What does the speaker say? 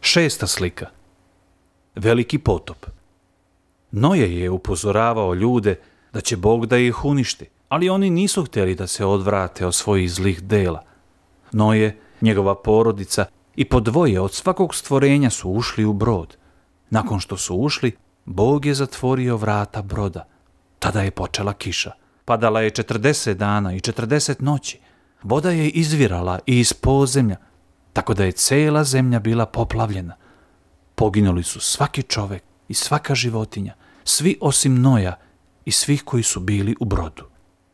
6. slika. Veliki potop. Noje je upozoravao ljude da će Bog da ih uništi, ali oni nisu htjeli da se odvrate od svojih zlih dela. Noje, njegova porodica i po dvoje od svakog stvorenja su ušli u brod. Nakon što su ušli, Bog je zatvorio vrata broda. Tada je počela kiša. Padala je 40 dana i 40 noći. Voda je izvirala i iz podzemlja, tako da je cijela zemlja bila poplavljena. Poginuli su svaki čovjek i svaka životinja, svi osim Noja i svih koji su bili u brodu.